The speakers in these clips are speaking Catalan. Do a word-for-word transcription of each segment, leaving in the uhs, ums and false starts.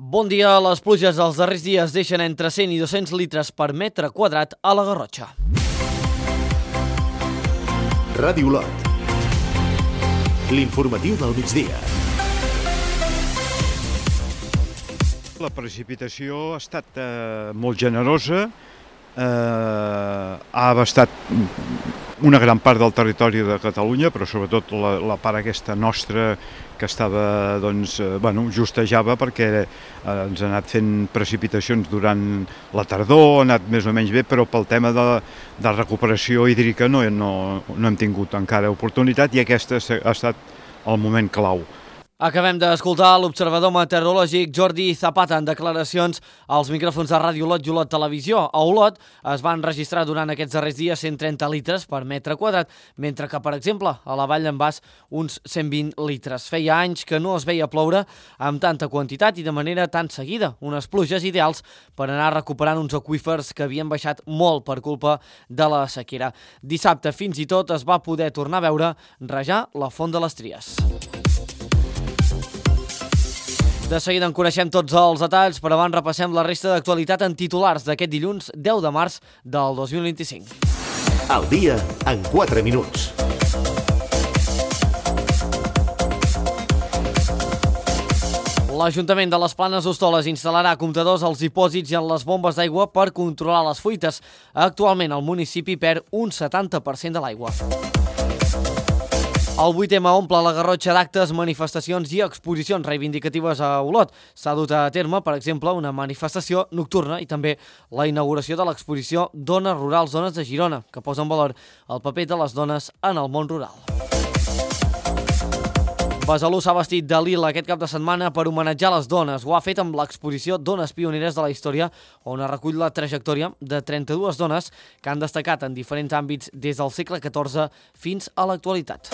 Bon dia. Les pluges dels darrers dies deixen entre cent i dos-cents litres per metre quadrat a la Garrotxa. Ràdio Olot. L'informatiu del migdia. La precipitació ha estat eh, molt generosa, eh, ha abastat una gran part del territori de Catalunya, però sobretot la, la part aquesta nostra que estava, doncs, eh, bueno, justejava perquè eh, ens ha anat fent precipitacions durant la tardor, ha anat més o menys bé, però pel tema de, de recuperació hídrica no, no, no hem tingut encara oportunitat i aquest ha estat el moment clau. Acabem d'escoltar l'observador meteorològic Jordi Zapata en declaracions als micròfons de Ràdio Olot i Olot Televisió. A Olot es van registrar durant aquests darrers dies cent trenta litres per metre quadrat, mentre que, per exemple, a la Vall d'en Bas uns cent vint litres. Feia anys que no es veia ploure amb tanta quantitat i de manera tan seguida. Unes pluges ideals per anar recuperant uns aqüífers que havien baixat molt per culpa de la sequera. Dissabte fins i tot es va poder tornar a veure rajar la Font de les Tries. De seguida en coneixem tots els detalls, però abans repassem la resta d'actualitat en titulars d'aquest dilluns deu de març del dos mil vint-i-cinc. El dia en quatre minuts. L'Ajuntament de les Planes d'Hostoles instal·larà comptadors als dipòsits i en les bombes d'aigua per controlar les fuites. Actualment el municipi perd un setanta per cent de l'aigua. El vuit ema omple la Garrotxa d'actes, manifestacions i exposicions reivindicatives a Olot. S'ha dut a terme, per exemple, una manifestació nocturna i també la inauguració de l'exposició Dones Rurals, Dones de Girona, que posa en valor el paper de les dones en el món rural. Besalú s'ha vestit de lila aquest cap de setmana per homenatjar les dones. Ho ha fet amb l'exposició Dones Pioneres de la Història, on es recull la trajectòria de trenta-dues dones que han destacat en diferents àmbits des del segle catorze fins a l'actualitat.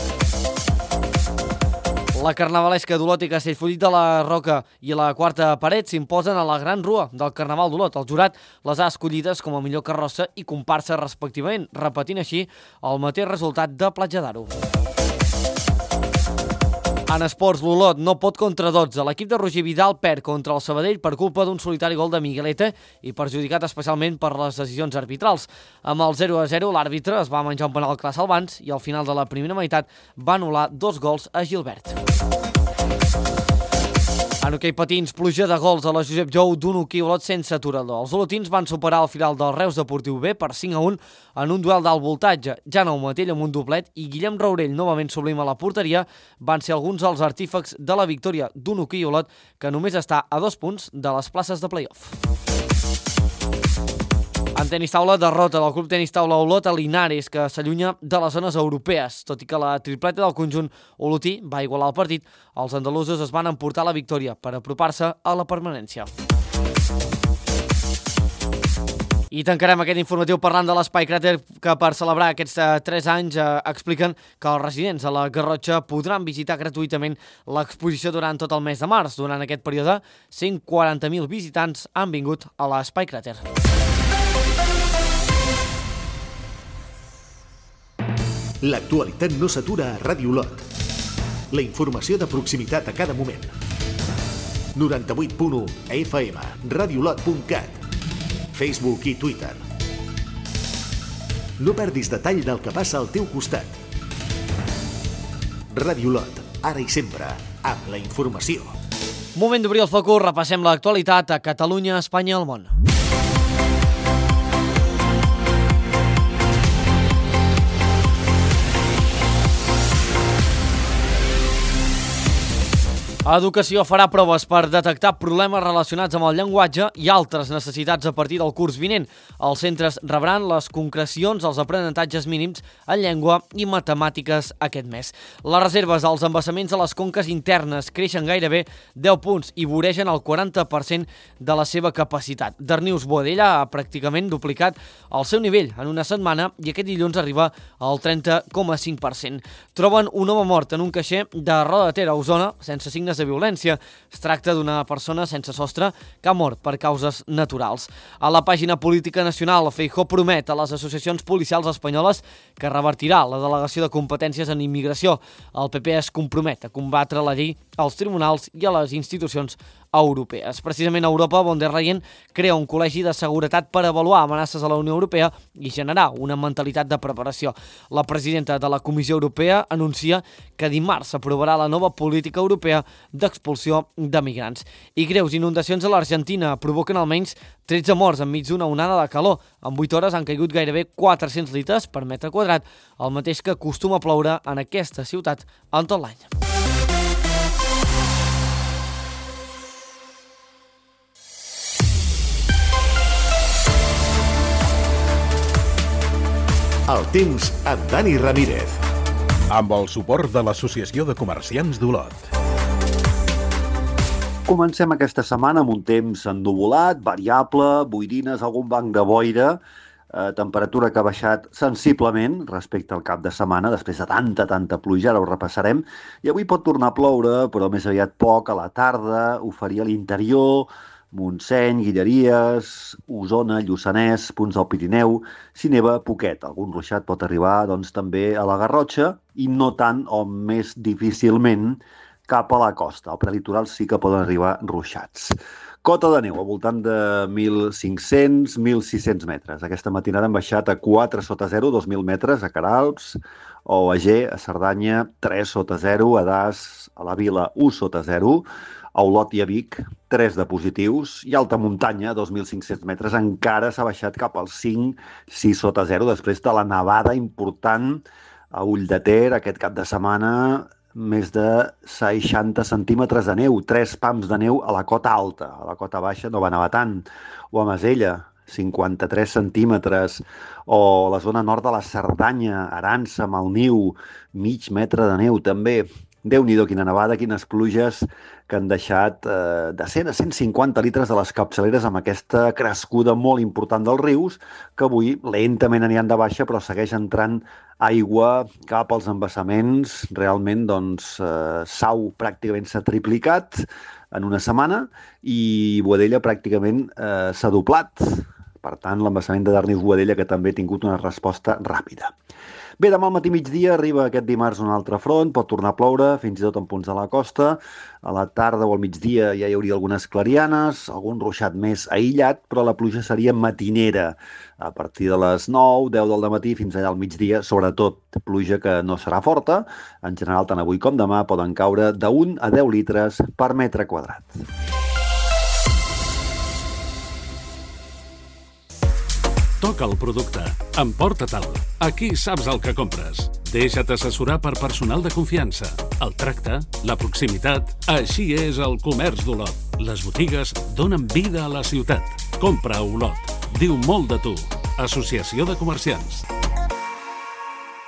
La carnavalesca d'Olot i Castellfollit de la Roca i la Quarta Paret s'imposen a la Gran Rua del Carnaval d'Olot. El jurat les ha escollides com a millor carrossa i comparsa respectivament, repetint així el mateix resultat de Platja d'Aro. En esports, l'Olot no pot contra dotze. L'equip de Roger Vidal perd contra el Sabadell per culpa d'un solitari gol de Miguelete i perjudicat especialment per les decisions arbitrals. Amb el zero a zero, l'àrbitre es va menjar un penal clar Salvans i al final de la primera meitat va anul·lar dos gols a Gilbert. En hoquei patins, pluja de gols a la Josep Jou d'un hoquei Olot sense aturador. Els olotins van superar el final del Reus Deportiu B per cinc a un en un duel d'alt voltatge. Jaume Matell amb un doblet i Guillem Raurell, novament sublim a la porteria, van ser alguns dels artífecs de la victòria d'un hoquei Olot que només està a dos punts de les places de play-off. En tenis taula, derrota del Club Tenis Taula Olot a Linares, que s'allunya de les zones europees. Tot i que la tripleta del conjunt olotí va igualar el partit, els andalusos es van emportar la victòria per apropar-se a la permanència. I tancarem aquest informatiu parlant de l'Espai Cràter, que per celebrar aquests eh, tres anys eh, expliquen que els residents a la Garrotxa podran visitar gratuïtament l'exposició durant tot el mes de març. Durant aquest període, cent quaranta mil visitants han vingut a l'Espai Cràter. L'actualitat no s'atura a Ràdio Olot. La informació de proximitat a cada moment. noranta-vuit punt u a F M, radiolot punt cat, Facebook i Twitter. No perdis detall del que passa al teu costat. Ràdio Olot, ara i sempre, amb la informació. Moment d'obrir el focus, repassem l'actualitat a Catalunya, Espanya i el món. Educació farà proves per detectar problemes relacionats amb el llenguatge i altres necessitats a partir del curs vinent. Els centres rebran les concrecions als aprenentatges mínims en llengua i matemàtiques aquest mes. Les reserves als embassaments a les conques internes creixen gairebé deu punts i voregen el quaranta per cent de la seva capacitat. Darnius Boadella ha pràcticament duplicat el seu nivell en una setmana i aquest dilluns arriba al trenta coma cinc per cent. Troben un home mort en un caixer de Roda de Ter a Osona sense signes de violència. Es tracta d'una persona sense sostre que ha mort per causes naturals. A la pàgina política nacional, Feijóo promet a les associacions policials espanyoles que revertirà la delegació de competències en immigració. El P P es compromet a combatre la llei als tribunals i a les institucions europees. Precisament a Europa, von der Leyen crea un col·legi de seguretat per avaluar amenaces a la Unió Europea i generar una mentalitat de preparació. La presidenta de la Comissió Europea anuncia que dimarts s'aprovarà la nova política europea d'expulsió de migrants. I greus inundacions a l'Argentina provoquen almenys tretze morts enmig d'una onada de calor. En vuit hores han caigut gairebé quatre-cents litres per metre quadrat, el mateix que acostuma a ploure en aquesta ciutat en tot l'any. El temps amb Dani Ramírez. Amb el suport de l'Associació de Comerciants d'Olot. Comencem aquesta setmana amb un temps ennuvolat, variable, boirines, algun banc de boira, eh, temperatura que ha baixat sensiblement respecte al cap de setmana, després de tanta, tanta pluja, ara ho repassarem, i avui pot tornar a ploure, però més aviat poc, a la tarda, ho faria a l'interior, Montseny, Guilleries, Osona, Lluçanès, punts del Pirineu, si neva, poquet. Algun ruixat pot arribar doncs, també a la Garrotxa i no tant o més difícilment cap a la costa. Al prelitoral sí que poden arribar ruixats. Cota de neu al voltant de mil cinc-cents a mil sis-cents metres. Aquesta matinada han baixat a quatre sota zero, dos mil metres a Queralbs, o a Ger, a Cerdanya, tres sota zero, a Das, a la Vila, u sota zero, a Olot i a Vic, tres de positius, i alta muntanya, dos mil cinc-cents metres, encara s'ha baixat cap als cinc, sis sota zero, després de la nevada important a Ulldeter aquest cap de setmana, més de seixanta centímetres de neu, tres pams de neu a la cota alta, a la cota baixa no va nevar tant, o a Masella, cinquanta-tres centímetres, o la zona nord de la Cerdanya, Arança, Malniu, mig metre de neu també. Déu-n'hi-do, quina nevada, quines pluges que han deixat eh, de cent a cent cinquanta litres de les capçaleres amb aquesta crescuda molt important dels rius, que avui lentament aniran de baixa, però segueix entrant aigua cap als embassaments. Realment, doncs, eh, Sau pràcticament s'ha triplicat en una setmana i Boadella pràcticament eh, s'ha doblat. Per tant, l'embassament de Darnius-Boadella, que també ha tingut una resposta ràpida. Bé, demà al matí migdia arriba aquest dimarts un altre front, pot tornar a ploure, fins i tot en punts de la costa. A la tarda o al migdia ja hi hauria algunes clarianes, algun ruixat més aïllat, però la pluja seria matinera. A partir de les nou, deu del matí fins allà al migdia, sobretot pluja que no serà forta. En general, tant avui com demà poden caure d'un a deu litres per metre quadrat. Toca el producte. Emporta-te'l. Aquí saps el que compres. Deixa't assessorar per personal de confiança. El tracte, la proximitat... Així és el comerç d'Olot. Les botigues donen vida a la ciutat. Compra a Olot. Diu molt de tu. Associació de Comerciants.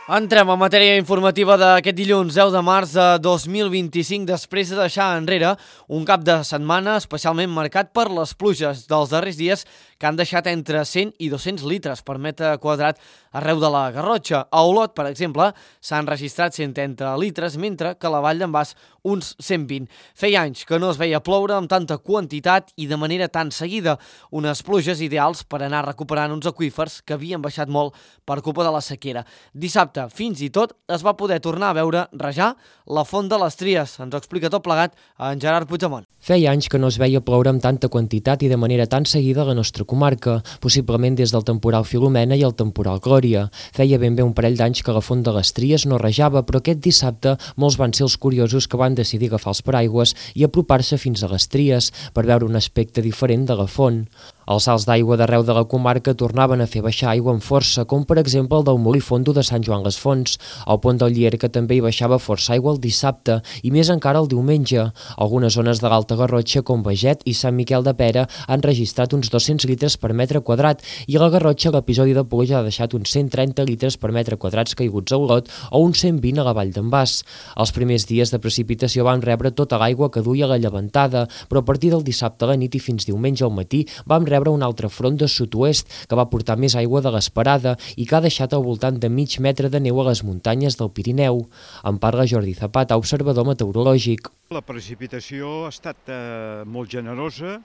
Entrem en matèria informativa d'aquest dilluns deu de març de dos mil vint-i-cinc, després de deixar enrere un cap de setmana especialment marcat per les pluges dels darrers dies que han deixat entre cent i dos-cents litres per metre quadrat arreu de la Garrotxa. A Olot, per exemple, s'han registrat cent trenta litres, mentre que a la Vall d'en Bas uns cent vint. Feia anys que no es veia ploure amb tanta quantitat i de manera tan seguida, unes pluges ideals per anar recuperant uns aqüífers que havien baixat molt per culpa de la sequera. Dissabte, fins i tot, es va poder tornar a veure rajar la Font de les Tries. Ens ho explica tot plegat en Gerard Puigdemont. Feia anys que no es veia ploure amb tanta quantitat i de manera tan seguida a la nostra comarca, possiblement des del temporal Filomena i el temporal Glòria. Feia ben bé un parell d'anys que la Font de les Tries no rajava, però aquest dissabte molts van ser els curiosos que van decidir agafar els paraigües i apropar-se fins a les Tries per veure un aspecte diferent de la font. Els salts d'aigua d'arreu de la comarca tornaven a fer baixar aigua amb força, com per exemple el del Molí Fondo de Sant Joan les Fonts, el pont del Llierca també hi baixava força aigua el dissabte i més encara el diumenge. Algunes zones de l'Alta Garrotxa, com Beget i Sant Miquel de Pera, han registrat uns dos-cents litres per metre quadrat i a la Garrotxa l'episodi de pluja ha deixat uns cent trenta litres per metre quadrats caiguts a Olot o uns cent vint a la Vall d'en Bas. Els primers dies de precipitació van rebre tota l'aigua que duia la llevantada, però a partir del dissabte a la nit i fins diumenge al matí vam rebre rebre un altre front de sud-oest que va portar més aigua de l'esperada i que ha deixat al voltant de mig metre de neu a les muntanyes del Pirineu. En parla Jordi Zapata, observador meteorològic. La precipitació ha estat eh, molt generosa,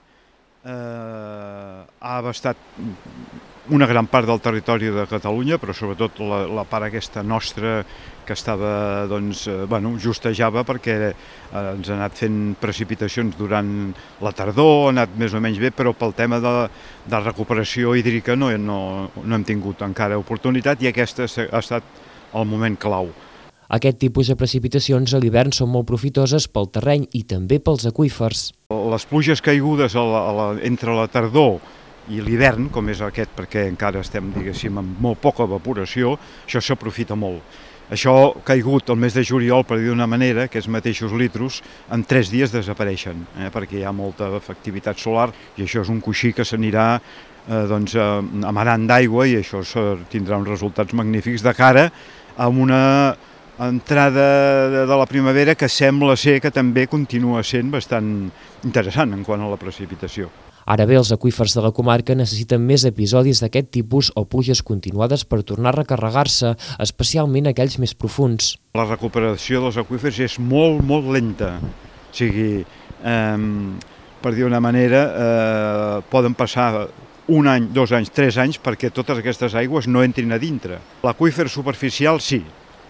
eh, ha abastat una gran part del territori de Catalunya, però sobretot la, la part aquesta nostra que estava, doncs, eh, bueno, justejava perquè eh, ens ha anat fent precipitacions durant la tardor, ha anat més o menys bé, però pel tema de, de recuperació hídrica no, no, no hem tingut encara oportunitat i aquesta ha estat el moment clau. Aquest tipus de precipitacions a l'hivern són molt profitoses pel terreny i també pels aqüífers. Les pluges caigudes a la, a la, entre la tardor i l'hivern, com és aquest, perquè encara estem, diguéssim, amb molt poca evaporació, això s'aprofita molt. Això caigut el mes de juliol, per dir d'una manera, aquests mateixos litros, en tres dies desapareixen, eh, perquè hi ha molta activitat solar i això és un coixí que s'anirà eh, doncs, amarant d'aigua i això tindrà uns resultats magnífics de cara a una entrada de la primavera que sembla ser que també continua sent bastant interessant en quant a la precipitació. Ara bé, els aqüífers de la comarca necessiten més episodis d'aquest tipus o pluges continuades per tornar a recarregar-se, especialment aquells més profunds. La recuperació dels aqüífers és molt, molt lenta. O sigui, eh, per dir una manera, eh, poden passar un any, dos anys, tres anys perquè totes aquestes aigües no entrin a dintre. L'aqüífer superficial sí,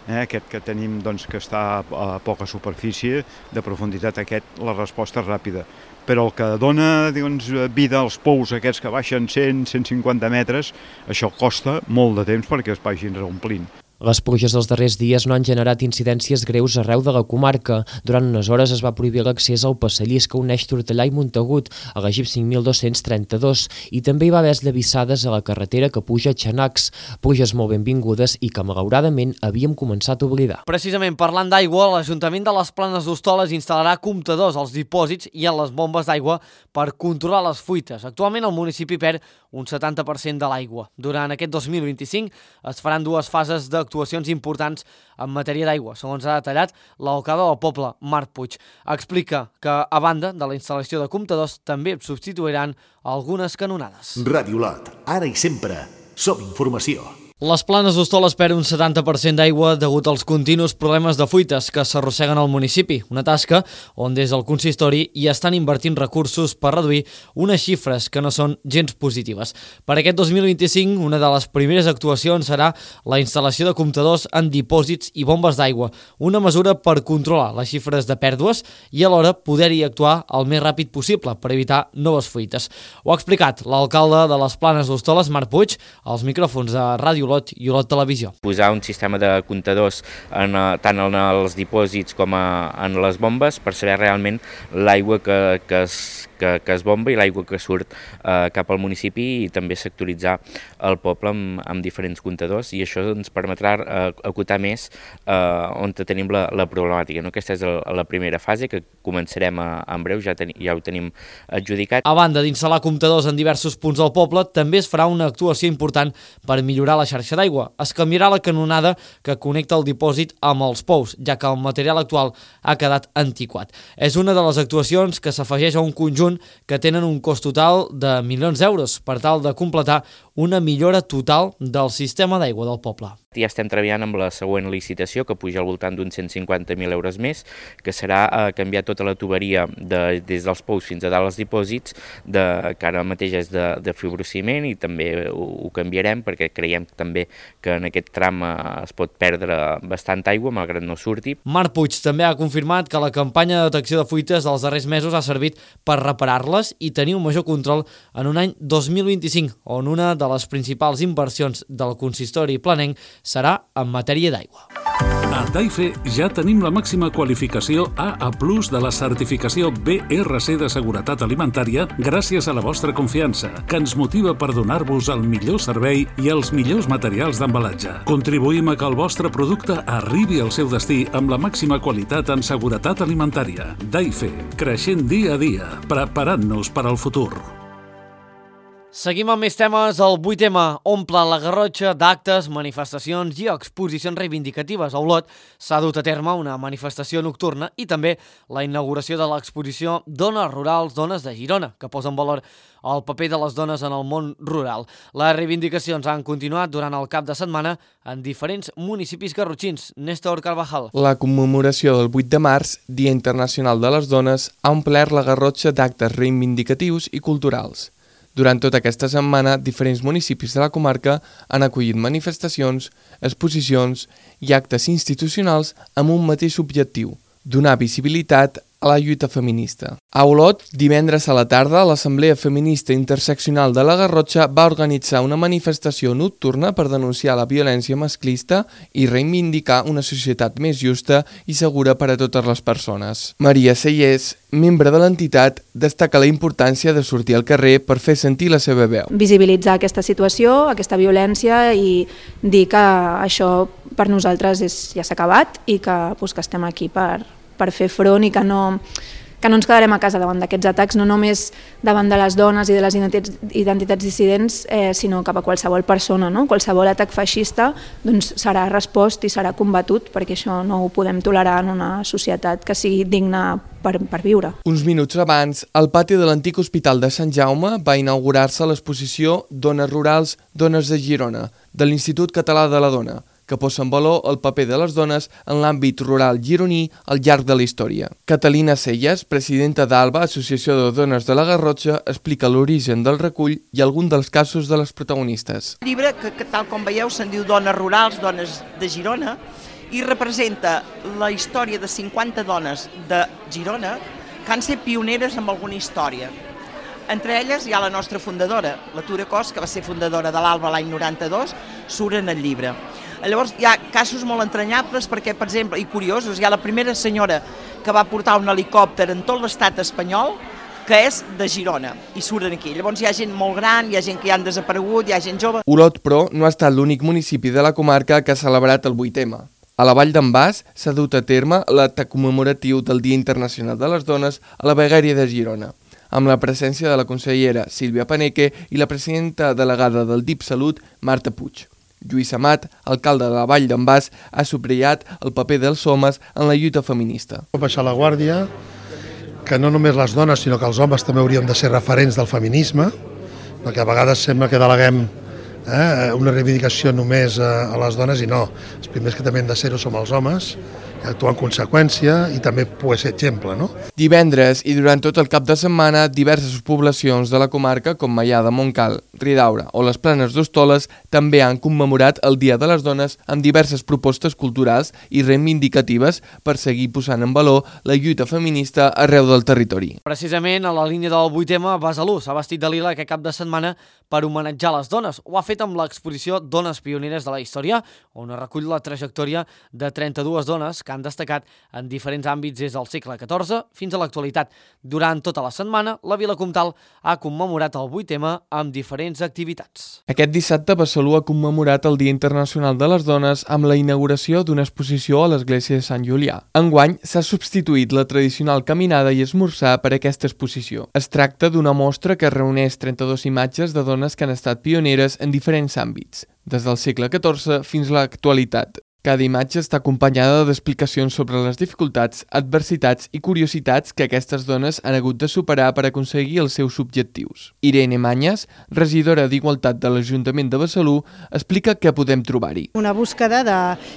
eh, aquest que tenim doncs, que està a poca superfície de profunditat, aquest la resposta és ràpida. Però el que dona doncs, vida als pous aquests que baixen cent a cent cinquanta metres, això costa molt de temps perquè es vagin reomplint. Les pluges dels darrers dies no han generat incidències greus arreu de la comarca. Durant unes hores es va prohibir l'accés al passadís que uneix Tortellà i Montagut, a la G I P cinc mil dos-cents trenta-dos, i també hi va haver esllavissades a la carretera que puja a Xanacs, pluges molt benvingudes i que malauradament havíem començat a oblidar. Precisament parlant d'aigua, l'Ajuntament de les Planes d'Hostoles instal·larà comptadors als dipòsits i a les bombes d'aigua per controlar les fuites. Actualment el municipi perd un setanta per cent de l'aigua. Durant aquest dos mil vint-i-cinc es faran dues fases d'actuacions importants en matèria d'aigua, segons ha detallat l'alcalde del poble, Marc Puig. Explica que, a banda de la instal·lació de comptadors, també substituiran algunes canonades. Ràdio Lot, ara i sempre, som informació. Les Planes d'Hostoles perd un setanta per cent d'aigua degut als continus problemes de fuites que s'arrosseguen al municipi, una tasca on des del consistori hi estan invertint recursos per reduir unes xifres que no són gens positives. Per aquest dos mil vint-i-cinc, una de les primeres actuacions serà la instal·lació de comptadors en dipòsits i bombes d'aigua, una mesura per controlar les xifres de pèrdues i alhora poder-hi actuar el més ràpid possible per evitar noves fuites. Ho ha explicat l'alcalde de les Planes d'Hostoles, Marc Puig, als micròfons de Ràdio Olot i Olot Televisió. Posar un sistema de comptadors en, tant en els dipòsits com a, en les bombes per saber realment l'aigua que, que, es, que, que es bomba i l'aigua que surt eh, cap al municipi i també sectoritzar el poble amb, amb diferents comptadors i això ens permetrà eh, acotar més eh, on tenim la, la problemàtica. No? Aquesta és el, la primera fase que començarem a, en breu, ja, ten, ja ho tenim adjudicat. A banda d'instal·lar comptadors en diversos punts del poble, també es farà una actuació important per millorar la xarxa d'aigua. Es canviarà la canonada que connecta el dipòsit amb els pous, ja que el material actual ha quedat antiquat. És una de les actuacions que s'afegeix a un conjunt que tenen un cost total de milions d'euros per tal de completar una millora total del sistema d'aigua del poble. Ja estem treballant amb la següent licitació, que puja al voltant d'uns cent cinquanta mil euros més, que serà eh, canviar tota la tuberia de, des dels pous fins a dalt als dipòsits, de, que ara mateix és de, de fibrociment i també ho, ho canviarem perquè creiem també que en aquest tram eh, es pot perdre bastant aigua, malgrat no surti. Marc Puig també ha confirmat que la campanya de detecció de fuites dels darrers mesos ha servit per reparar-les i tenir un major control en un any dos mil vint-i-cinc, on una de les principals inversions del consistori planenc serà en matèria d'aigua. A Daife ja tenim la màxima qualificació A A plus de la certificació B R C de seguretat alimentària gràcies a la vostra confiança, que ens motiva per donar-vos el millor servei i els millors materials d'embalatge. Contribuïm a que el vostre producte arribi al seu destí amb la màxima qualitat en seguretat alimentària. Daife, creixent dia a dia, preparant-nos per al futur. Seguim amb més temes. El vuit eme omple la Garrotxa d'actes, manifestacions i exposicions reivindicatives. A Olot s'ha dut a terme una manifestació nocturna i també la inauguració de l'exposició Dones Rurals, Dones de Girona, que posa en valor el paper de les dones en el món rural. Les reivindicacions han continuat durant el cap de setmana en diferents municipis garrotxins. Néstor Carvajal. La commemoració del vuit de març, Dia Internacional de les Dones, ha omplert la Garrotxa d'actes reivindicatius i culturals. Durant tota aquesta setmana, diferents municipis de la comarca han acollit manifestacions, exposicions i actes institucionals amb un mateix objectiu: donar visibilitat a la lluita feminista. A Olot, divendres a la tarda, l'Assemblea Feminista Interseccional de la Garrotxa va organitzar una manifestació nocturna per denunciar la violència masclista i reivindicar una societat més justa i segura per a totes les persones. Maria Sellers, membre de l'entitat, destaca la importància de sortir al carrer per fer sentir la seva veu. Visibilitzar aquesta situació, aquesta violència i dir que això per nosaltres és, ja s'ha acabat i que, doncs, que estem aquí per, per fer front i que no, que no ens quedarem a casa davant d'aquests atacs, no només davant de les dones i de les identitats, identitats dissidents, eh, sinó cap a qualsevol persona, no? Qualsevol atac feixista doncs, serà respost i serà combatut, perquè això no ho podem tolerar en una societat que sigui digna per, per viure. Uns minuts abans, al pati de l'antic Hospital de Sant Jaume va inaugurar-se l'exposició Dones Rurals, Dones de Girona, de l'Institut Català de la Dona, que posa en valor el paper de les dones en l'àmbit rural gironí al llarg de la història. Catalina Selles, presidenta d'ALBA, Associació de Dones de la Garrotxa, explica l'origen del recull i algun dels casos de les protagonistes. El llibre, que, que tal com veieu, se'n diu Dones Rurals, Dones de Girona, i representa la història de cinquanta dones de Girona que han set pioneres en alguna història. Entre elles hi ha la nostra fundadora, la Tura Cos, que va ser fundadora de l'ALBA l'any noranta-dos, surt en el llibre. Llavors hi ha casos molt entranyables perquè, per exemple, i curiosos, hi ha la primera senyora que va portar un helicòpter en tot l'estat espanyol, que és de Girona, i surten aquí. Llavors hi ha gent molt gran, hi ha gent que ja han desaparegut, hi ha gent jove. Olot, però, no ha estat l'únic municipi de la comarca que ha celebrat el vuit eme. A la Vall d'en Bas s'ha dut a terme l'acte commemoratiu del Dia Internacional de les Dones a la Vegueria de Girona, amb la presència de la consellera Sílvia Paneque i la presidenta delegada del D I P Salut, Marta Puig. Lluís Amat, alcalde de la Vall d'en Bas, ha subratllat el paper dels homes en la lluita feminista. Baixar la guàrdia, que no només les dones, sinó que els homes també hauríem de ser referents del feminisme, perquè a vegades sembla que deleguem eh, una reivindicació només a, a les dones i no. Els primers que també hem de ser-ho som els homes, actuar en conseqüència i també poder ser exemple, no? Divendres i durant tot el cap de setmana, diverses poblacions de la comarca, com Maià de Montcal, Ridaura o les Planes d'Hostoles, també han commemorat el Dia de les Dones amb diverses propostes culturals i reivindicatives per seguir posant en valor la lluita feminista arreu del territori. Precisament a la línia del vuit eme, Besalú s'ha vestit de lila aquest cap de setmana per homenatjar les dones. Ho ha fet amb l'exposició Dones Pioneres de la Història, on recull la trajectòria de trenta-dues dones que han destacat en diferents àmbits des del segle catorze fins a l'actualitat. Durant tota la setmana, la Vila Comtal ha commemorat el vuit eme amb diferents activitats. Aquest dissabte, Besalú ha commemorat el Dia Internacional de les Dones amb la inauguració d'una exposició a l'església de Sant Julià. Enguany s'ha substituït la tradicional caminada i esmorzar per aquesta exposició. Es tracta d'una mostra que reuneix trenta-dues imatges de dones que han estat pioneres en diferents àmbits, des del segle catorze fins a l'actualitat. Cada imatge està acompanyada d'explicacions sobre les dificultats, adversitats i curiositats que aquestes dones han hagut de superar per aconseguir els seus objectius. Irene Mañas, regidora d'Igualtat de l'Ajuntament de Besalú, explica què podem trobar-hi. Una búsqueda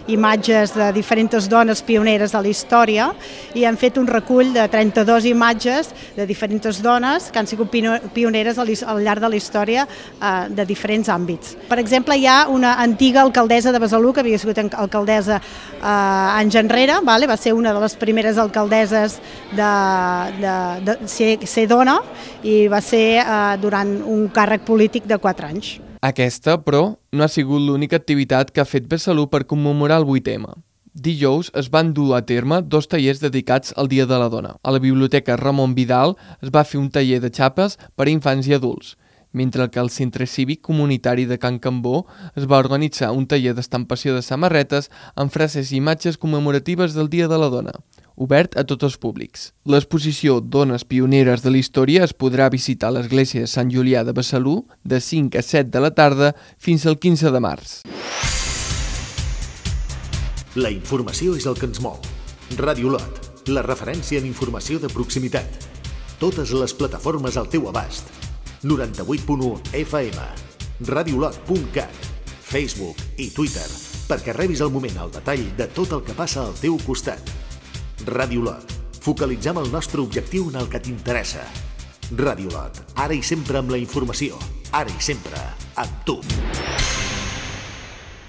d'imatges de diferents dones pioneres de la història i han fet un recull de trenta-dues imatges de diferents dones que han sigut pioneres al llarg de la història de diferents àmbits. Per exemple, hi ha una antiga alcaldessa de Besalú que havia sigut alcaldessa alcaldessa eh, anys enrere, vale? Va ser una de les primeres alcaldesses de, de, de ser, ser dona i va ser eh, durant un càrrec polític de quatre anys. Aquesta, però, no ha sigut l'única activitat que ha fet Besalú per commemorar el vuit eme. Dijous es van dur a terme dos tallers dedicats al Dia de la Dona. A la Biblioteca Ramon Vidal es va fer un taller de xapes per a infants i adults, mentre que al Centre Cívic Comunitari de Can Cambó es va organitzar un taller d'estampació de samarretes amb frases i imatges commemoratives del Dia de la Dona. obert a tots els públics. L'exposició Dones Pioneres de la Història es podrà visitar a l'església de Sant Julià de Besalú de cinc a set de la tarda fins al quinze de març. La informació és el que ens mou. Ràdio Lot, la referència en informació de proximitat. Totes les plataformes al teu abast. noranta-vuit punt u F M, radiolot punt cat, Facebook i Twitter, perquè rebis al moment el detall de tot el que passa al teu costat. Ràdio Lot, focalitzem el nostre objectiu en el que t'interessa. Ràdio Lot, ara i sempre amb la informació, ara i sempre amb tu.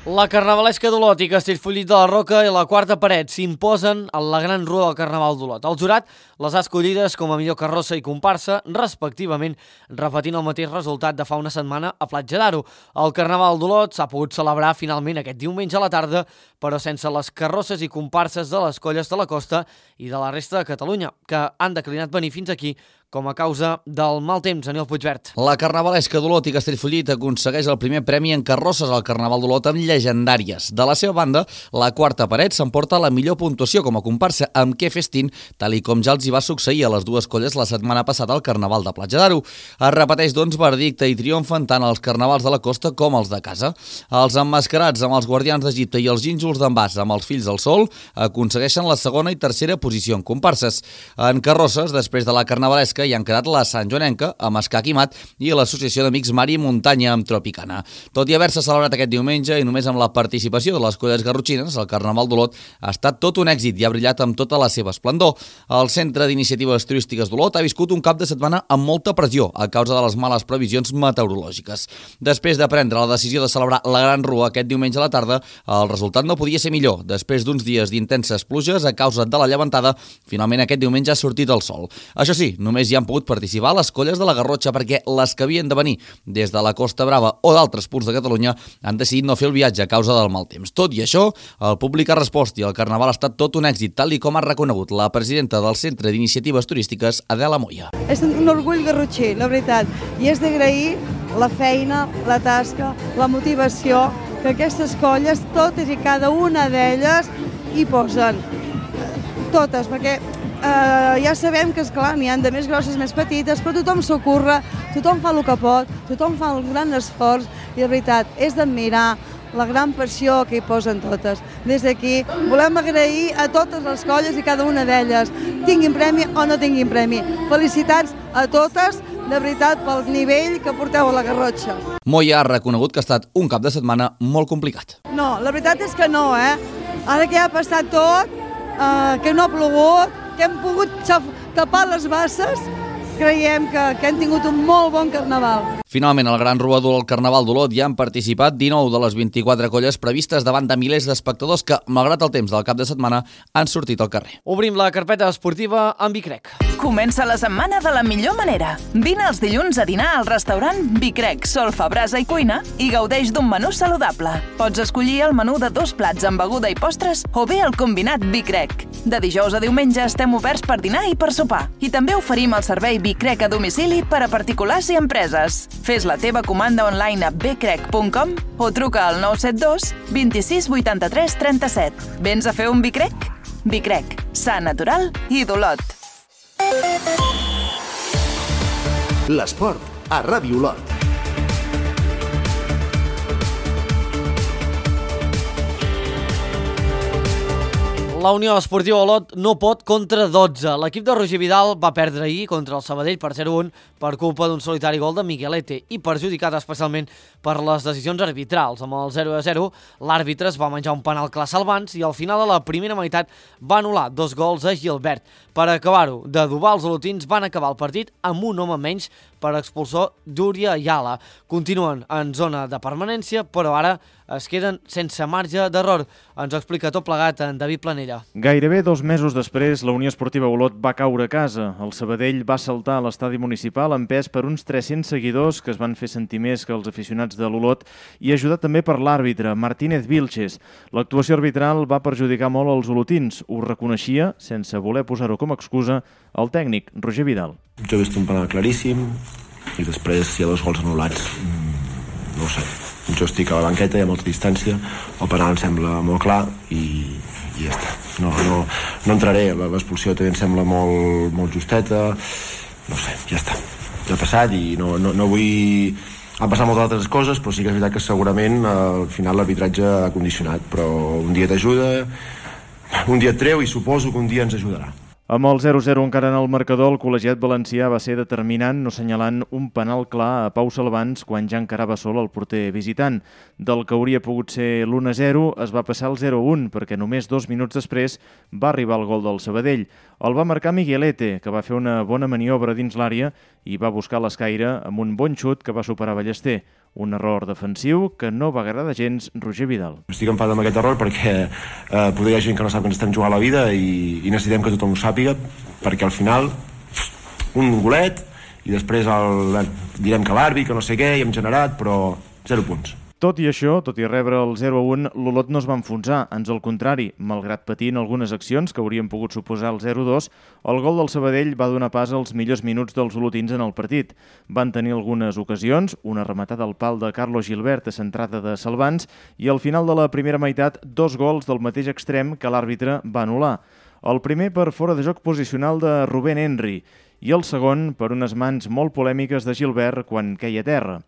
La carnavalesca d'Olot i Castellfollit de la Roca i la Quarta Paret s'imposen a la gran rua del Carnaval d'Olot. El jurat les ha escollides com a millor carrossa i comparsa, respectivament, repetint el mateix resultat de fa una setmana a Platja d'Aro. El Carnaval d'Olot s'ha pogut celebrar finalment aquest diumenge a la tarda, però sense les carrosses i comparses de les colles de la costa i de la resta de Catalunya, que han declinat venir fins aquí com a causa del mal temps. Aniol Puigvert. La carnavalesca d'Olot i Castellfollit aconsegueix el primer premi en carrosses al Carnaval d'Olot amb llegendàries. De la seva banda, la Quarta Paret s'emporta la millor puntuació com a comparsa amb Què festin, tal i com ja els hi va succeir a les dues colles la setmana passada al Carnaval de Platja d'Aro. Es repeteix, doncs, verdicte i triomfen tant els carnavals de la costa com els de casa. Els emmascarats amb els guardians d'Egipte i els gínjols d'Envàs amb els fills del sol aconsegueixen la segona i tercera posició en comparses. En carrosses, després de la carnavalesca, hi han quedat la Sant Joanenca, amb Escac i Mat, i l'Associació d'Amics Mar i Muntanya amb Tropicana. Tot i haver-se celebrat aquest diumenge i només amb la participació de les colles garrotxines, el Carnaval d'Olot ha estat tot un èxit i ha brillat amb tota la seva esplendor. El Centre d'Iniciatives Turístiques d'Olot ha viscut un cap de setmana amb molta pressió a causa de les males previsions meteorològiques. Després de prendre la decisió de celebrar la Gran Rua aquest diumenge a la tarda, el resultat no podia ser millor. Després d'uns dies d'intenses pluges a causa de la llevantada, finalment aquest diumenge ha sortit el sol. Això sí, només hi han pogut participar les colles de la Garrotxa perquè les que havien de venir des de la Costa Brava o d'altres punts de Catalunya han decidit no fer el viatge a causa del mal temps. Tot i això, el públic ha respost i el Carnaval ha estat tot un èxit, tal i com ha reconegut la presidenta del Centre d'Iniciatives Turístiques, Adela Moya. És un orgull garrotxí, la veritat, i és d'agrair la feina, la tasca, la motivació que aquestes colles, totes i cada una d'elles, hi posen. Totes, perquè Uh, ja sabem que, esclar, n'hi ha de més grosses, més petites, però tothom s'ocorre, tothom fa el que pot, tothom fa un gran esforç i, de veritat, és d'admirar la gran passió que hi posen totes. Des d'aquí volem agrair a totes les colles i cada una d'elles, tinguin premi o no tinguin premi. Felicitats a totes, de veritat, pel nivell que porteu a la Garrotxa. Moya ha reconegut que ha estat un cap de setmana molt complicat. No, la veritat és que no, eh? Ara que ja ha passat tot, uh, que no ha plogut, que hem pogut tapar les basses, creiem que, que hem tingut un molt bon carnaval. Finalment, al Gran Rua del Carnaval d'Olot hi han participat dinou de les vint-i-quatre colles previstes davant de milers d'espectadors que, malgrat el temps del cap de setmana, han sortit al carrer. Obrim la carpeta esportiva amb Vicrec. Comença la setmana de la millor manera. Vine els dilluns a dinar al restaurant Vicrec, solfa, brasa i cuina i gaudeix d'un menú saludable. Pots escollir el menú de dos plats amb beguda i postres o bé el combinat Vicrec. De dijous a diumenge estem oberts per dinar i per sopar. I també oferim el servei Vicrec a domicili per a particulars i empreses. Fes la teva comanda online a becrec punt com o truca al nou set dos, vint-i-sis, vuitanta-tres, trenta-set. Vens a fer un Vicrec? Vicrec, sa, natural i d'Olot. L'esport a Ràdio Olot. La Unió Esportiva Olot no pot contra dotze. L'equip de Roger Vidal va perdre ahir contra el Sabadell per zero a un per culpa d'un solitari gol de Miguelete i perjudicat especialment per les decisions arbitrals. Amb el zero a zero, l'àrbitre es va menjar un penal clar salvants i al final de la primera meitat va anul·lar dos gols a Gilbert. Per acabar-ho d'adobar, els olotins van acabar el partit amb un home menys per expulsor d'Úria Ayala. Continuen en zona de permanència, però ara es queden sense marge d'error. Ens ho explica tot plegat en David Planella. Gairebé dos mesos després, la Unió Esportiva Olot va caure a casa. El Sabadell va saltar a l'estadi municipal empès per uns tres-cents seguidors que es van fer sentir més que els aficionats de l'Olot i ajudat també per l'àrbitre, Martínez Vilches. L'actuació arbitral va perjudicar molt els olotins. Ho reconeixia, sense voler posar-ho com a excusa, el tècnic, Roger Vidal. Jo he vist un penal claríssim i després hi ha dos gols anul·lats. No ho sé. Jo estic a la banqueta i a molta distància. El penal em sembla molt clar i i ja està. No, no, no entraré, l'expulsió també em sembla molt, molt justeta, no sé, ja està. Ja ha passat i no, no, no vull... Han passat moltes altres coses, però sí que és veritat que segurament al final l'arbitratge ha condicionat, però un dia t'ajuda, un dia et treu i suposo que un dia ens ajudarà. Amb el zero zero encara en el marcador, el col·legiat valencià va ser determinant no assenyalant un penal clar a Pau Salvans quan ja encarava sol el porter visitant. Del que hauria pogut ser l'u a zero es va passar al zero a un perquè només dos minuts després va arribar el gol del Sabadell. El va marcar Miguelete, que va fer una bona maniobra dins l'àrea i va buscar l'escaire amb un bon xut que va superar Ballester. Un error defensiu que no va agradar gens Roger Vidal. Estic enfadat amb aquest error perquè eh, poder hi ha gent que no sap que ens estem jugant la vida i, i necessitem que tothom ho sàpiga, perquè al final un golet i després el, direm que l'àrbit, que no sé què, i hem generat, però zero punts. Tot i això, tot i rebre el zero a un, l'Olot no es va enfonsar, ans al contrari. Malgrat patir en algunes accions que haurien pogut suposar el zero a dos, el gol del Sabadell va donar pas als millors minuts dels olotins en el partit. Van tenir algunes ocasions, una rematada al pal de Carlos Gilbert a centrada de Salvans i al final de la primera meitat dos gols del mateix extrem que l'àrbitre va anul·lar. El primer per fora de joc posicional de Rubén Henry i el segon per unes mans molt polèmiques de Gilbert quan queia a terra.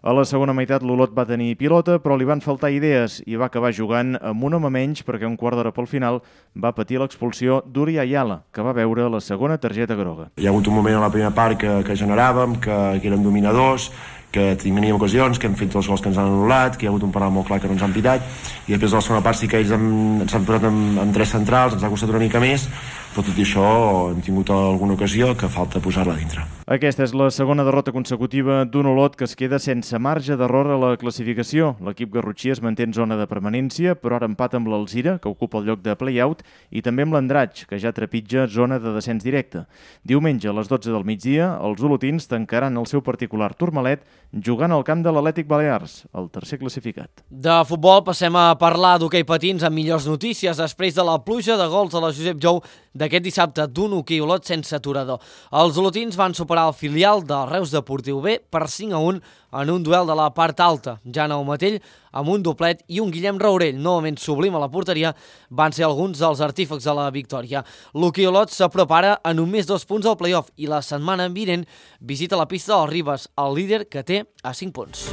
A la segona meitat l'Olot va tenir pilota, però li van faltar idees i va acabar jugant amb un home menys perquè un quart d'hora pel final va patir l'expulsió d'Uri Ayala, que va veure la segona targeta groga. Hi ha hagut un moment a la primera part que, que generàvem, que, que érem dominadors, que teníem ocasions, que hem fet els gols que ens han anul·lat, que hi ha hagut un penal molt clar que no ens han pitat, i després de la segona part sí que ells han, ens han posat amb, amb tres centrals, ens ha costat una mica més, però tot i això hem tingut alguna ocasió que falta posar-la dintre. Aquesta és la segona derrota consecutiva d'un Olot que es queda sense marge d'error a la classificació. L'equip garrotxí es manté en zona de permanència, però ara empat amb l'Alzira, que ocupa el lloc de play-out, i també amb l'Andratx, que ja trepitja zona de descens directe. Diumenge a les dotze del migdia, els olotins tancaran el seu particular Tourmalet jugant al camp de l'Atlètic Balears, el tercer classificat. De futbol passem a parlar d'hoquei patins amb millors notícies després de la pluja de gols a la Josep Jou d'aquest dissabte d'un hoquei Olot sense aturador. Els olotins van superar el filial del Reus Deportiu B per cinc a un en un duel de la part alta. Jan Aumatell, amb un doblet, i un Guillem Raurell, novament sublim a la porteria, van ser alguns dels artífecs de la victòria. L'hoquei Olot s'aprepara a només dos punts al play-off i la setmana vinent visita la pista del Ribes, el líder que té a cinc punts.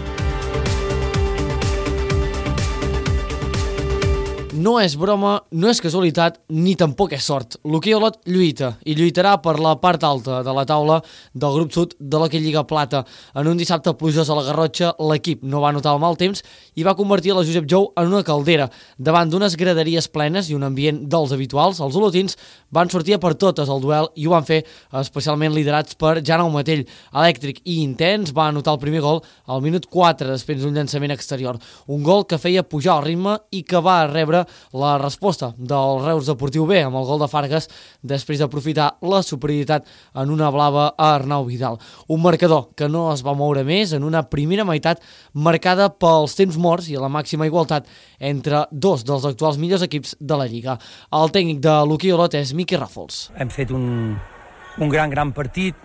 No és broma, no és casualitat, ni tampoc és sort. L'hoquei Olot lluita, i lluitarà per la part alta de la taula del grup sud de l'hoquei Lliga Plata. En un dissabte plujós a la Garrotxa, l'equip no va notar el mal temps i va convertir la Josep Jou en una caldera. Davant d'unes graderies plenes i un ambient dels habituals, els olotins van sortir a per totes al duel i ho van fer especialment liderats per Jan Aumatell. Elèctric i intens va anotar el primer gol al minut quatre després d'un llançament exterior. Un gol que feia pujar el ritme i que va rebre la resposta del Reus Deportiu B amb el gol de Fargas després d'aprofitar la superioritat en una blava a Arnau Vidal. Un marcador que no es va moure més en una primera meitat marcada pels temps morts i la màxima igualtat entre dos dels actuals millors equips de la Lliga. El tècnic de l'hoquei Olot és Miqui Ràfols. Hem fet un, un gran, gran partit,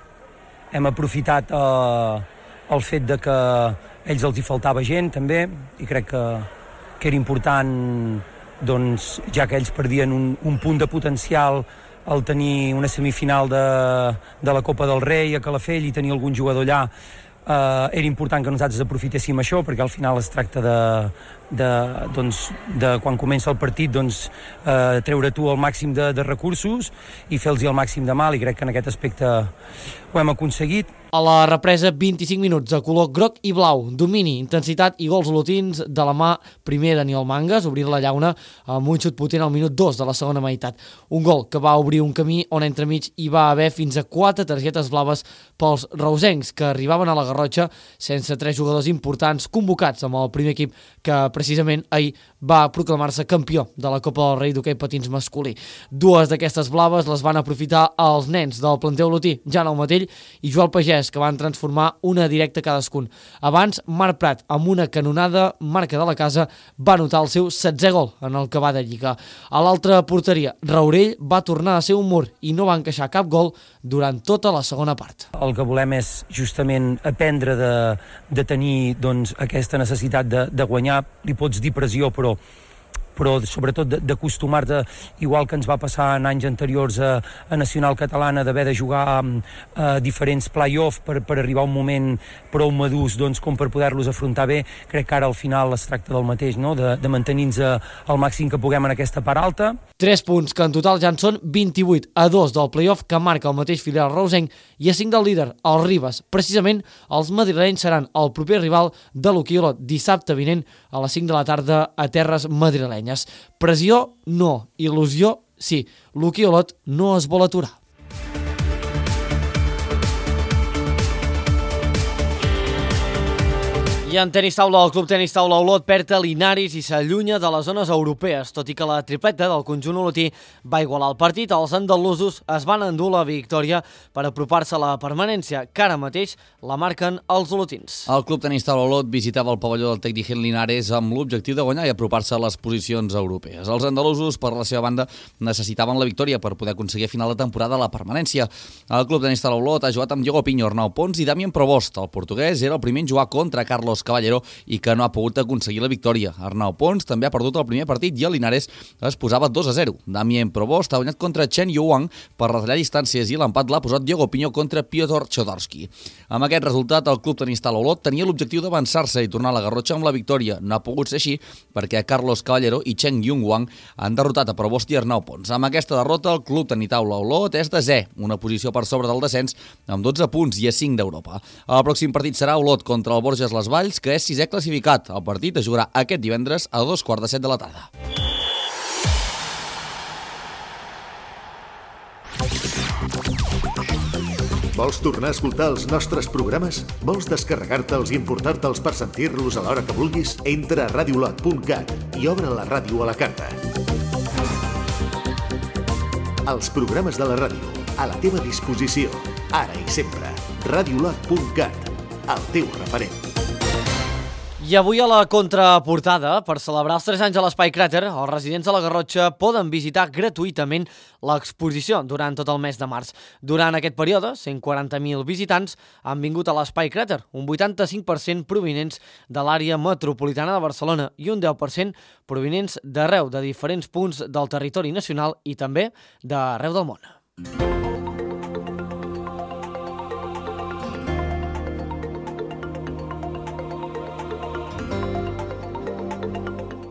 hem aprofitat eh, el fet de que a ells els hi faltava gent també i crec que, que era important, doncs, ja que ells perdien un, un punt de potencial al tenir una semifinal de, de la Copa del Rei a Calafell i tenir algun jugador allà, eh, era important que nosaltres aprofitéssim això, perquè al final es tracta de, de, doncs, de quan comença el partit, doncs, eh, treure tu el màxim de, de recursos i fer-los el màxim de mal, i crec que en aquest aspecte ho hem aconseguit. A la represa, vint-i-cinc minuts de color groc i blau, domini, intensitat i gols olotins de la mà primer Daniel Mangas, obrir la llauna amb un xut potent al minut dos de la segona meitat. Un gol que va obrir un camí on entremig hi va haver fins a quatre targetes blaves pels reusencs, que arribaven a la Garrotxa sense tres jugadors importants convocats amb el primer equip que precisament ahir va proclamar-se campió de la Copa del Rei d'hoquei patins masculí. Dues d'aquestes blaves les van aprofitar els nens del planter olotí, Jan Aumatell i Joel Pagès, que van transformar una directa cadascun. Abans, Marc Prat, amb una canonada marca de la casa, va anotar el seu setzè gol en el que va de Lliga. A l'altra porteria, Raurell va tornar a ser un mur i no va encaixar cap gol durant tota la segona part. El que volem és justament aprendre de, de tenir, doncs, aquesta necessitat de, de guanyar. Li pots dir pressió, però però sobretot d'acostumar-te, igual que ens va passar en anys anteriors a, a Nacional Catalana, d'haver de jugar a, a diferents play-off per, per arribar a un moment prou madurs doncs, com per poder-los afrontar bé. Crec que ara al final es tracta del mateix, no? de, de mantenir-nos al màxim que puguem en aquesta part alta. Tres punts, que en total ja en són vint-i-vuit a dos del play-off que marca el mateix filial reusenc i a cinc del líder, el Ribes. Precisament, els madrilenys seran el proper rival de l'Hoquei Olot dissabte vinent a les cinc de la tarda a terres madrilenyes. Pressió, no. Il·lusió, sí. L'Hoquei Olot no es vol aturar. I en tenis taula, el Club Tenis Taula Olot perd a Linares i s'allunya de les zones europees, tot i que la tripleta del conjunt olotí va igualar el partit. Els andalusos es van endur la victòria per apropar-se a la permanència, que ara mateix la marquen els olotins. El Club Tenis Taula Olot visitava el pavelló del Tec Digent Linares amb l'objectiu de guanyar i apropar-se a les posicions europees. Els andalusos, per la seva banda, necessitaven la victòria per poder aconseguir a final de temporada la permanència. El Club Tenis Taula Olot ha jugat amb Diego Piño, Arnau Pons i Damien Provost. El portuguès era el primer en jugar contra Carlos Caballero i que no ha pogut aconseguir la victòria. Arnau Pons també ha perdut el primer partit i el Linares es posava dos a zero. Damien Provost ha guanyat contra Chen Yuang per retallar distàncies i l'empat l'ha posat Diego Piño contra Piotr Chodorski. Amb aquest resultat, el Club Tenis Taula Olot tenia l'objectiu d'avançar-se i tornar a la Garrotxa amb la victòria. No ha pogut ser així perquè Carlos Caballero i Chen Yuang han derrotat a Provost i Arnau Pons. Amb aquesta derrota, el Club Tenis Taula Olot és desè, una posició per sobre del descens amb dotze punts i a cinc d'Europa. El pròxim partit serà Olot contra el Borges Les Valls, que és sisè classificat. El partit es jugarà aquest divendres a dos quarts de set de la tarda. Vols tornar a escoltar els nostres programes? Vols descarregar-te'ls i importar-te'ls per sentir-los a l'hora que vulguis? Entra a radiolot punt cat i obre la ràdio a la carta. Els programes de la ràdio, a la teva disposició, ara i sempre. radiolot punt cat, el teu referent. I avui a la contraportada, per celebrar els tres anys a l'Espai Cràter, els residents de la Garrotxa poden visitar gratuïtament l'exposició durant tot el mes de març. Durant aquest període, cent quaranta mil visitants han vingut a l'Espai Cràter, un vuitanta-cinc per cent provinents de l'àrea metropolitana de Barcelona i un deu per cent provinents d'arreu de diferents punts del territori nacional i també d'arreu del món.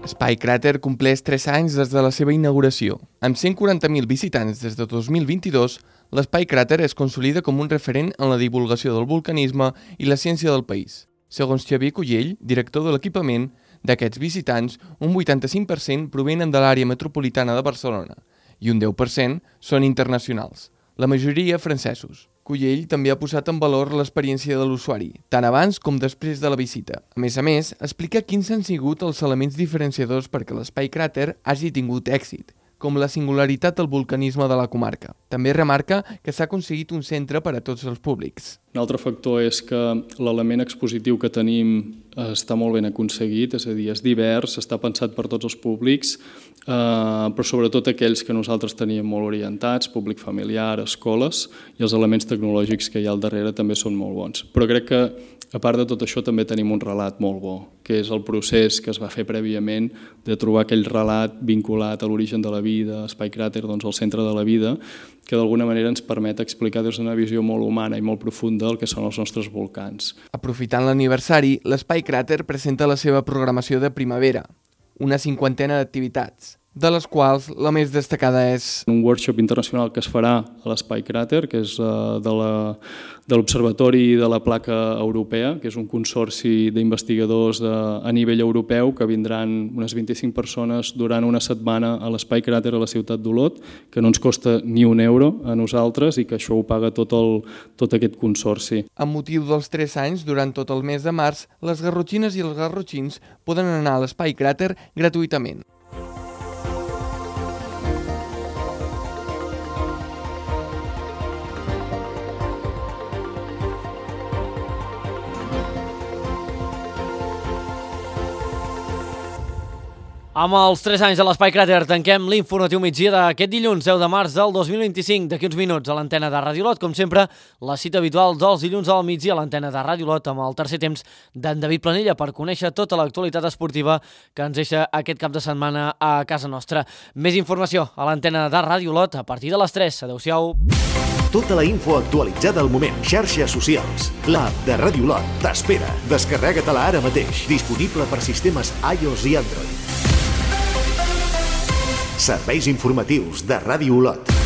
Espai Cràter compleix tres anys des de la seva inauguració. Amb cent quaranta mil visitants des de dos mil vint-i-dos, l'Espai Cràter es consolida com un referent en la divulgació del vulcanisme i la ciència del país. Segons Xavier Cullell, director de l'equipament, d'aquests visitants, un vuitanta-cinc per cent provenen de l'àrea metropolitana de Barcelona i un deu per cent són internacionals, la majoria francesos. Cullell també ha posat en valor l'experiència de l'usuari, tant abans com després de la visita. A més a més, explica quins han sigut els elements diferenciadors perquè l'Espai Cràter hagi tingut èxit, com la singularitat del vulcanisme de la comarca. També remarca que s'ha aconseguit un centre per a tots els públics. Un altre factor és que l'element expositiu que tenim està molt ben aconseguit, és a dir, és divers, està pensat per tots els públics, eh, però sobretot aquells que nosaltres teníem molt orientats, públic familiar, escoles, i els elements tecnològics que hi ha al darrere també són molt bons. Però crec que, a part de tot això, també tenim un relat molt bo, que és el procés que es va fer prèviament de trobar aquell relat vinculat a l'origen de la vida, Espai Cràter, doncs al centre de la vida, que d'alguna manera ens permet explicar des d'una visió molt humana i molt profunda el que són els nostres volcans. Aprofitant l'aniversari, l'Espai Cràter presenta la seva programació de primavera, una cinquantena d'activitats, de les quals la més destacada és un workshop internacional que es farà a l'Espai Cràter, que és de la, de l'Observatori de la Placa Europea, que és un consorci d'investigadors a nivell europeu que vindran unes vint-i-cinc persones durant una setmana a l'Espai Cràter a la ciutat d'Olot, que no ens costa ni un euro a nosaltres i que això ho paga tot, el, tot aquest consorci. Amb motiu dels tres anys, durant tot el mes de març, les garrotxines i els garrotxins poden anar a l'Espai Cràter gratuïtament. Amb els tres anys de l'Espai Cràter tanquem l'informatiu migdia d'aquest dilluns deu de març del dos mil vint-i-cinc. D'aquí uns minuts a l'antena de Ràdio Lot, com sempre, la cita habitual dels dilluns al migdia a l'antena de Ràdio Lot amb el tercer temps d'en David Planella per conèixer tota l'actualitat esportiva que ens deixa aquest cap de setmana a casa nostra. Més informació a l'antena de Ràdio Lot a partir de les tres. Adéu-siau. Tota la info actualitzada al moment. Xarxes socials. L'app de Ràdio Lot t'espera. Descarrega-te-la ara mateix. Disponible per sistemes iOS i Android. Serveis informatius de Ràdio Lot.